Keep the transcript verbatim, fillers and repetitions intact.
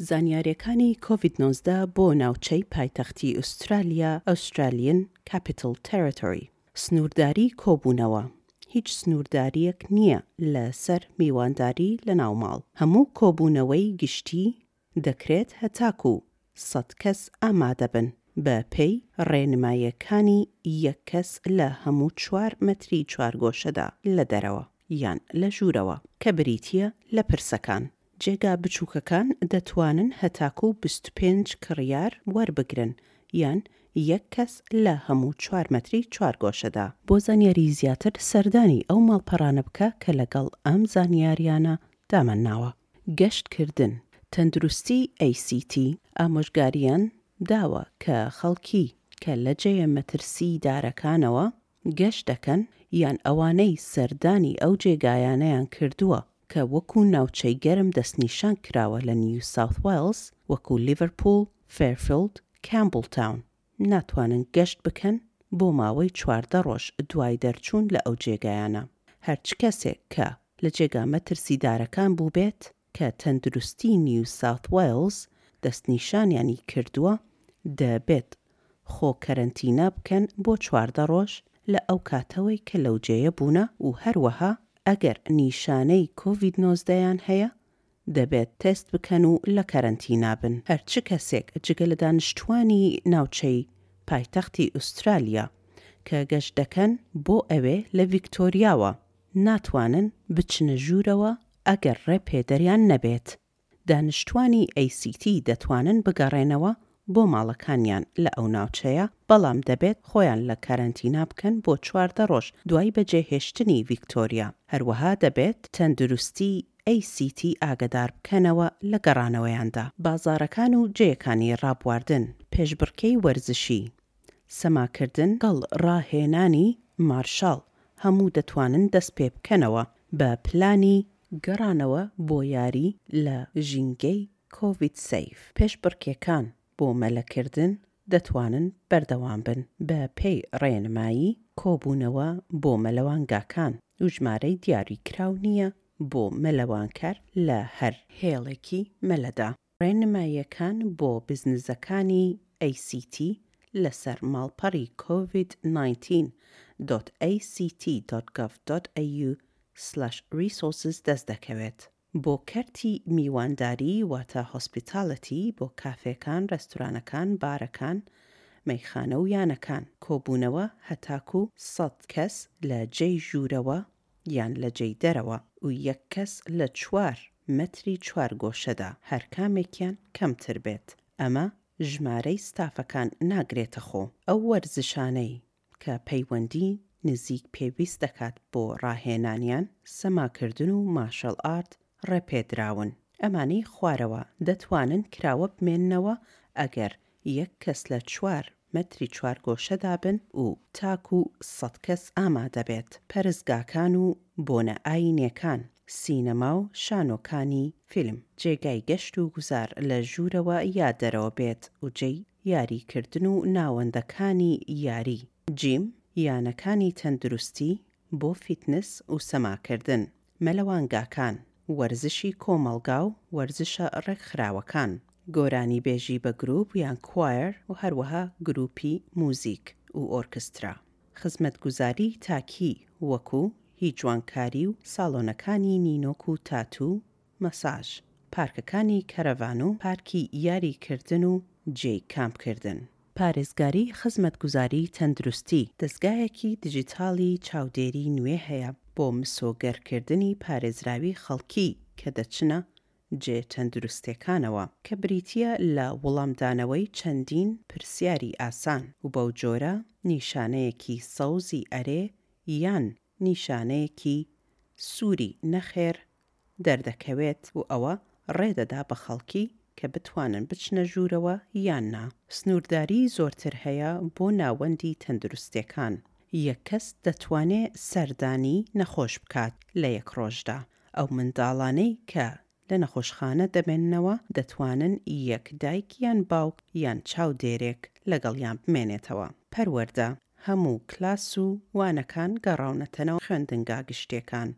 زانیاریەکانی کۆڤید نۆزدە بۆ ناوچەی پایتەختی ئوسترالیا Australian Capital Territory. سنوورداری کۆبوونەوە، هیچ سنوورداریەک نییە لەسەر میوانداری لە ناو ماڵ. هەموو کۆبوونەوەی گشتی دەکرێت هەتاکو سەد کەس ئامادەبن بە پێی ڕێنماییەکانی یەک کەس لە هەموو چوار مەتری چوارگۆشەدا لە دەرەوە یان لە ژوورەوە کە بریتییە لە پرسەکان. جێگا بچووکەکان دەتوانن هەتاکو بیست و پێنج کڕیار وەربگرن یان یەک کەس لە هەموو چوار مەتری چوارگۆشەدا. بۆ زانیاری زیاتر سەردانی ئەو ماڵپەڕانە بکە کە لەگەڵ ئەم زانیاریانە دامانناوە. گەشتکردن، تەندروستی A C T ئامۆژگاریان داوە کە خەڵکی کە لە جێیە مەترسیدارەکانەوە گەشت دەکەن یان ئەوانەی سەردانی ئەو جێگایانەیان کردووە کە وەکو ناوچەی گەرم دەستنیشان کراوە لە نیو ساوث وێڵز وەکو لیڤەرپوڵ، فێرفیڵد، کامبڵتاون ناتوانن گەشت بکەن بۆ ماوەی چواردە ڕۆژ دوای دەرچوون لە ئەو جێگایانە. هەرچ کەسێک کە لە جێگا مەترسیدارەکان بوو بێت کە تەندروستی نیو ساوث وێڵز دەستنیشانیانی کردووە دەبێت خۆ کەرەنتینا بکەن بۆ چواردە ڕۆژ لە ئەو کاتەوەی کە لەو جێیە بوونە و هەروەها ئەگەر نیشانەی کۆڤید نۆزدەیان هەیە دەبێت تێست بکەن و لە کەرەنتینا بن. هەرچ کەسێک جگە لە دانیشتوانی ناوچەی پایتەختی ئوسترالیا کە گەشت دەکەن بۆ ئەوێ لە ڤیکتۆریاوە ناتوانن بچنە ژوورەوە ئەگەر ڕێپێدەریان نەبێت. دانیشتوانی A C T دەتوانن بگەڕێنەوە بۆ ماڵەکانیان لە ئەو ناوچەیە، بەڵام دەبێت خۆیان لە کارنتینا بکەن بۆ چواردە ڕۆژ دوای بەجێهێشتنی ڤیکتۆریا. هەروەها دەبێت تەندروستی A C T ئاگادار بکەنەوە لە گەڕانەوەیاندا. بازارەکان و جێیەکانی ڕابواردن، پێشبڕکێی وەرزشی، سەماکردن گەڵ ڕاهێنانی مارشال هەموو دەتوانن دەست پێ بکەنەوە بە پلانی گەڕانەوە بۆ یاری لە ژینگەی کۆڤید سەیف. پێشبڕکێکان بۆ مەلەکردن دەتوانن بەردەوام بن بە پێی ڕێنمایی کۆبوونەوە بۆ مەلەوانگاکان و ژمارەی دیاریکراو نییە بۆ مەلەوانکار لە هەر هێڵێکی مەلەدا. ڕێنماییەکان بۆ بزنزەکانی A C T لەسەر ماڵپەڕی COVID nineteen dot A C T dot gov dot A U slash resources دەست دەکەوێت. بۆ کەرتی میوانداری واتە هۆسپیتالەتی بۆ کافێکان، ڕێستورانەکان، بارەکان، مەیخانە و یانەکان. کۆبوونەوە هەتاکو سەد کەس لە جێی ژوورەوە یان لە جێی دەرەوە و یەک کەس لە چوار مەتری چوار گۆشەدا هەر کامێکیان کەمتر بێت. ئەمە ژمارەی ستافەکان ناگرێتە خۆ. ئەو وەرزشانەی کە پەیوەندی نزیک پێویست دەکات بۆ ڕاهێنانیان، سەماکردن و مارشال ئارت ڕێپێدراون. ئەمانەی خوارەوە دەتوانن کراوە بمێننەوە ئەگەر یەک کەس لە چوار مەتری چوار گۆشەدا بن و تاکو سەد کەس ئامادە بێت. پەرستگاکان و بۆنە ئاینیەکان، سینەما و شانۆکانی فیلم، جێگای گەشت و گوزار لە ژوورەوە یا دەرەوە بێت و جێی یاریکردن و ناوەندەکانی یاری، جیم، یانەکانی تەندروستی بۆ فیتنس و سەماکردن، مەلەوانگاکان، وەرزشی کۆمەڵگا و وەرزشە ڕێکخراوەکان، گۆرانی بێژی بە گروپ یان کوایەر و هەروەها گروپی موزیک و ئۆرکسترا. خزمەتگوزاری تاکی وەکو هی جوانکاری و ساڵۆنەکانی نینۆک و تاتو، مەساژ، پارکەکانی کەرەڤان و پارکی یاریکردن و جێی کامپکردن. پارێزگاری خزمەتگوزاری تەندروستی دەستگایەکی دیجیتالی چاودێری نوێ هەیە بۆ مسۆگەرکردنی پارێزراوی خەڵکی کە دەچنە جێ تەندروستیەکانەوە کە بریتییە لە وەڵامدانەوەی چەندین پرسیاری ئاسان و بەو جۆرە نیشانەیەکی سەوزی ئەرێ یان نیشانەیەکی سووری نەخێر دەردەکەوێت و ئەوە ڕێدەدا بە خەڵکی کە بتوانن بچنە ژوورەوە یان نا. سنوورداری زۆرتر هەیە بۆ ناوەندی تەندروستیەکان. یەک کەس دەتوانێت سەردانی نەخۆش بکات لە یەک ڕۆژدا. ئەو منداڵانەی کە لە نەخۆشخانە دەمێننەوە دەتوانن یەک دایک یان باوک یان چاودێرێک لەگەڵیان بمێنێتەوە. پەروەردە هەموو کلاس و وانەکان گەڕاونەتەنەوە خوێندنگا گشتیەکان.